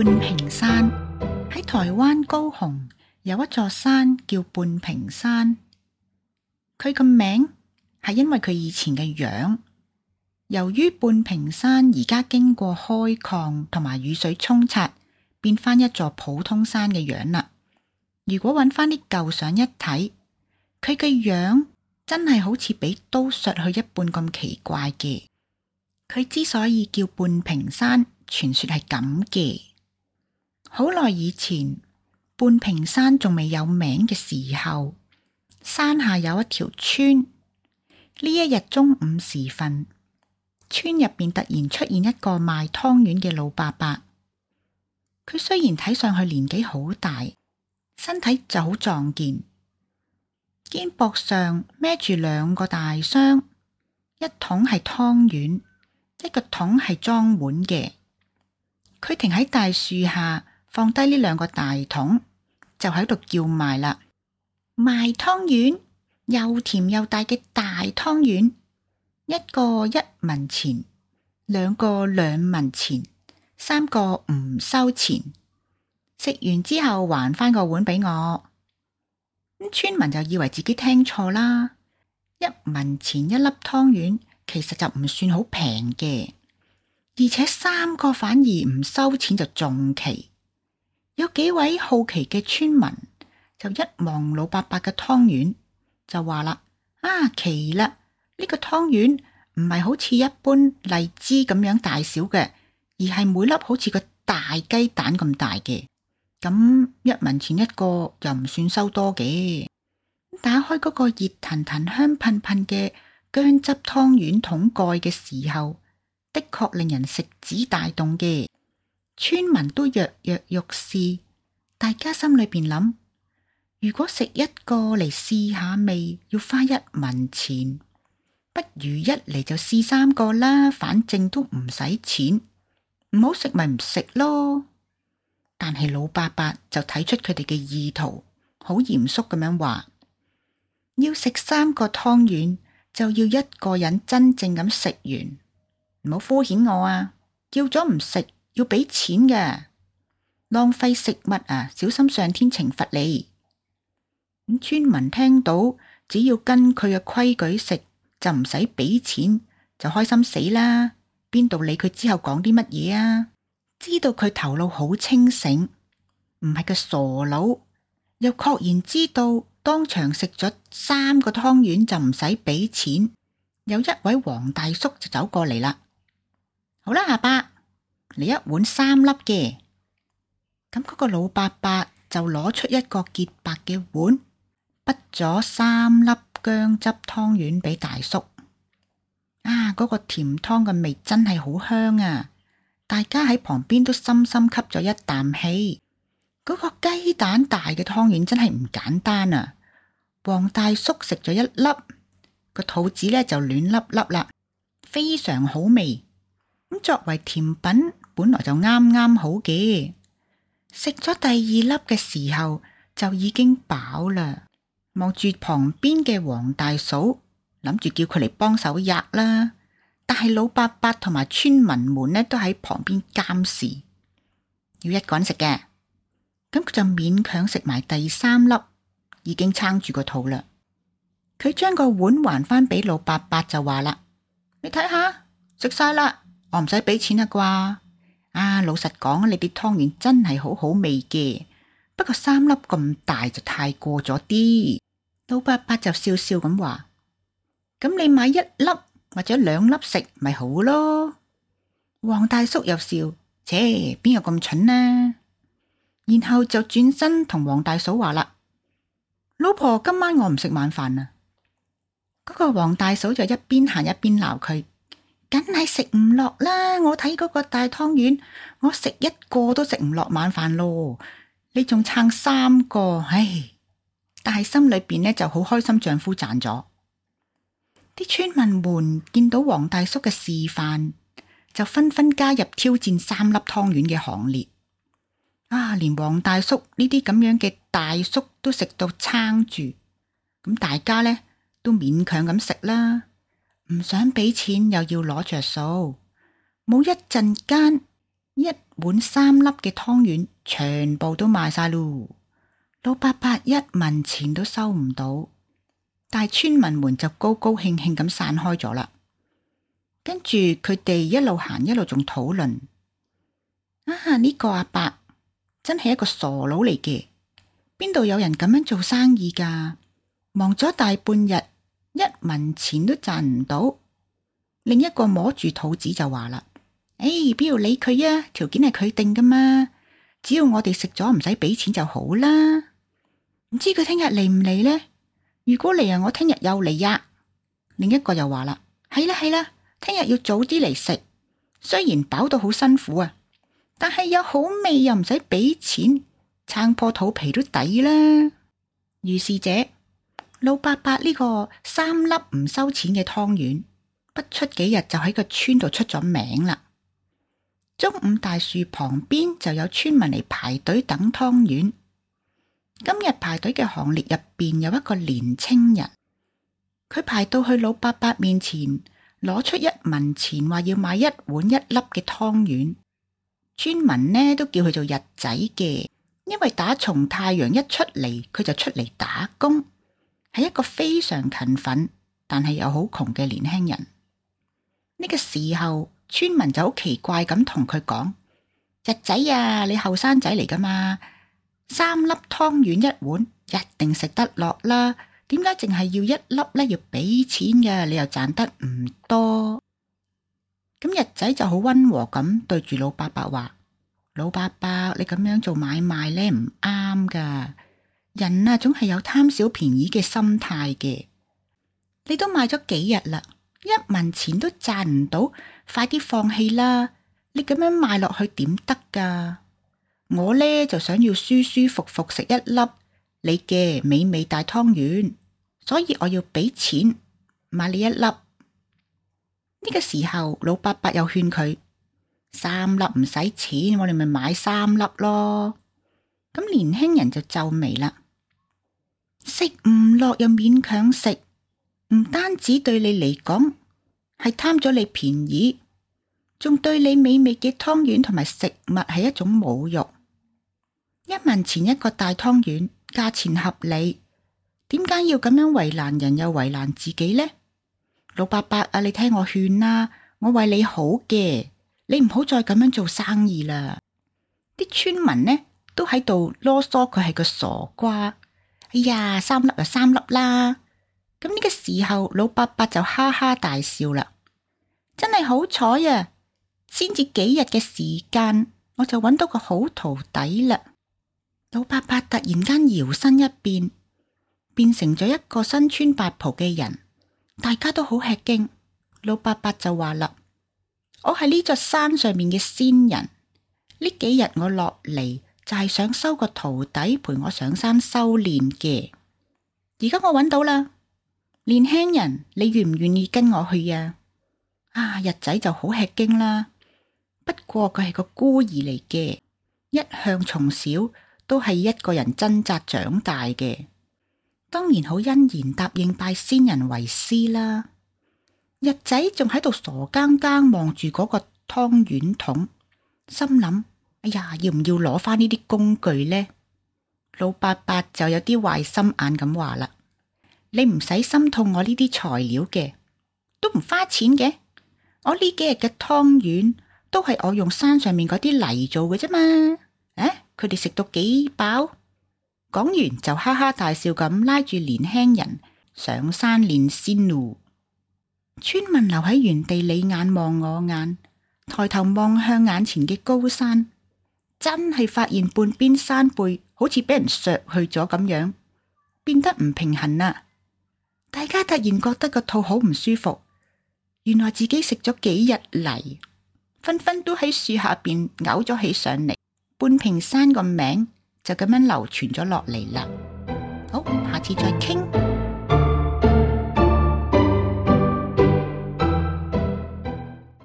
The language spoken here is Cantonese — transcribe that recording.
半屏山喺台灣高雄有一座山叫半屏山，佢個名係因為佢以前嘅樣。由於半屏山而家經過開礦同埋雨水沖刷，變翻一座普通山嘅樣啦。如果揾翻啲舊相一睇，佢嘅樣真係好似俾刀削去一半咁奇怪嘅。佢之所以叫半屏山，傳說係咁嘅。好耐以前，半屏山仲未有名嘅時候，山下有一條村。呢一日中午時分，村入邊突然出現一個賣湯圓嘅老伯伯。佢雖然睇上去年紀好大，身體就好壯健，肩膊上孭住兩個大箱，一桶係湯圓，一個桶係裝碗嘅。佢停喺大樹下，放低呢兩個大桶，就喺度叫賣啦。賣湯圓，又甜又大嘅大湯圓，一個1文錢，兩個2文錢，三個唔收錢。食完之後還翻個碗俾我。村民就以為自己聽錯啦，1文錢一粒湯圓，其實就唔算好平嘅，而且3個反而唔收錢就仲奇。有幾位好奇嘅村民就一望老伯伯嘅湯圓，就話啦：奇啦！呢個湯圓唔係好似一般荔枝咁樣大小嘅，而係每粒好似個大雞蛋咁大嘅。咁1文錢一個又唔算收多嘅。打開嗰個熱騰騰香噴噴嘅薑汁湯圓桶蓋嘅時候，的確令人食指大動嘅。村民都躍躍欲試，大家心裏邊諗：如果食一個嚟試下味要花1文錢，不如一嚟就試3個啦，反正都唔使錢，唔好食咪唔食咯。但係老伯伯就睇出佢哋嘅意圖，好嚴肅咁樣話：要食3個湯圓，就要一個人真正咁食完，唔好敷衍我啊！叫咗唔食要俾錢嘅，浪費食物啊，小心上天懲罰你。村民聽到只要跟佢嘅規矩食，就唔使俾錢，就開心死啦！邊度理佢之後講啲乜嘢啊？知道佢頭腦好清醒，唔係個傻佬，又確然知道當場食咗3個湯圓就唔使俾錢。有一位黃大叔就走過嚟啦。好啦，阿伯，嚟一碗3粒嘅。咁嗰個老伯伯就攞出一個潔白嘅碗，滗咗3粒薑汁湯圓俾大叔。嗰個甜湯嘅味真係好香啊！大家喺旁邊都深深吸咗一啖氣。嗰個雞蛋大嘅湯圓真係唔簡單啊！黃大叔食咗一粒，個肚子呢就暖粒粒啦，非常好味。咁作為甜品，本來就啱啱好嘅。食咗第2粒嘅時候就已經飽啦，望住旁邊嘅黃大嫂，諗住叫佢嚟幫手吔啦。但係老伯伯同埋村民們呢都喺旁邊監視，要一個人食嘅。咁佢就勉強食埋第3粒，已經撐住個肚啦。佢將個碗還翻俾老伯伯就話啦：你睇下，食晒啦，我唔使俾錢啦啩。老實講，你啲湯圓真係好好味嘅，不過3粒咁大就太過咗啲。老伯伯就笑笑咁話：咁你買1粒或者2粒食咪好咯。黃大叔又笑：切，邊有咁蠢呢？然後就轉身同黃大嫂話啦：老婆，今晚我唔食晚飯啊。嗰個黃大嫂就一邊行一邊鬧佢：梗係食唔落啦！我睇嗰個大湯圓，我食1個都食唔落晚飯咯。你仲撐3個，唉！但係心裏邊呢就好開心，丈夫賺咗。啲村民們見到黃大叔嘅示範，就紛紛加入挑戰3粒湯圓嘅行列。連黃大叔呢啲咁樣嘅大叔都食到撐住，咁大家呢都勉強咁食啦，唔想俾錢又要攞着數。冇一陣間，一碗3粒嘅湯圓全部都賣晒咯。老伯伯一文錢都收唔到，但係村民們就高高興興咁散開咗啦。跟住佢哋一路行一路仲討論，呢個阿伯真係一個傻佬嚟嘅，邊度有人咁樣做生意㗎？忙咗大半日，一文錢都賺唔到。另一個摸住肚子就話啦：邊要理佢啊？條件係佢定㗎嘛，只要我哋食咗唔使俾錢就好啦。唔知佢聽日嚟唔嚟呢？如果嚟我聽日又嚟呀。另一個又話啦：係啦，聽日要早啲嚟食，雖然飽到好辛苦啊，但係有好味又唔使俾錢，撐破肚皮都抵啦。如是者，老伯伯呢個3粒唔收錢嘅湯圓，不出幾日就喺個村度出咗名啦。中午大樹旁邊就有村民嚟排隊等湯圓。今日排隊嘅行列入邊有一個年青人，佢排到去老伯伯面前，攞出1文錢，話要買1碗1粒嘅湯圓。村民呢都叫佢做日仔嘅，因為打從太陽一出嚟，佢就出嚟打工，係一個非常勤奮但係又好窮嘅年輕人。呢個時候，村民就好奇怪咁同佢講：日仔啊，你後生仔嚟噶嘛，3粒湯圓1碗，一定食得落啦。點解淨係要1粒呢？要俾錢嘅，你又賺得唔多。咁日仔就好溫和咁對住老伯伯話：老伯伯，你咁樣做買賣呢唔啱噶。人啊，總係有貪小便宜嘅心態嘅。你都賣咗幾日啦，1文錢都賺唔到，快啲放棄啦。你咁樣賣落去點得噶？我呢就想要舒舒服服食1粒你嘅美味大湯圓，所以我要俾錢買你1粒。呢個時候，老伯伯又勸佢：3粒唔使錢，我哋咪買3粒咯。咁年輕人就皺眉啦，食唔落又勉強食，唔單止對你嚟講係貪咗你便宜，仲對你美味嘅湯圓同埋食物係一種侮辱。1文錢一個大湯圓，價錢合理，點解要咁樣為難人又為難自己呢？老伯伯啊，你聽我勸啦，我為你好嘅，你唔好再咁樣做生意啦。啲村民呢都喺度囉嗦，佢係個傻瓜。哎呀，3粒就3粒啦。咁呢個時候，老伯伯就哈哈大笑啦。真係好彩啊，先至幾日嘅時間，我就揾到個好徒弟啦。老伯伯突然間搖身一變，變成咗一個身穿白袍嘅人。大家都好吃驚，老伯伯就話啦：我係呢座山上面嘅仙人，呢幾日我落嚟就係想收個徒弟陪我上山修煉嘅。而家我揾到啦，年輕人，你願唔願意跟我去啊？日仔就好吃驚啦，不過佢係個孤兒嚟嘅，一向從小都係一個人掙扎長大嘅。當然好欣然答應拜仙人為師啦。日仔仲喺度傻更更望住嗰個湯圓筒，心諗：哎呀，要唔要攞翻呢啲工具呢？老伯伯就有啲壞心眼咁話啦：你唔使心痛我呢啲材料嘅，都唔花錢嘅。我呢幾日嘅湯圓都係我用山上面嗰啲泥做嘅啫嘛。佢哋食到幾飽？講完就哈哈大笑咁拉住年輕人上山練仙路。村民留喺原地，你眼望我眼，抬頭望向眼前嘅高山，真係發現半邊山背好似俾人削去咗咁樣，變得唔平衡啦。大家突然覺得個肚好唔舒服，原來自己食咗幾日泥，紛紛都喺樹下邊嘔咗起上嚟。半屏山個名就咁樣流傳咗落嚟啦。好，下次再傾。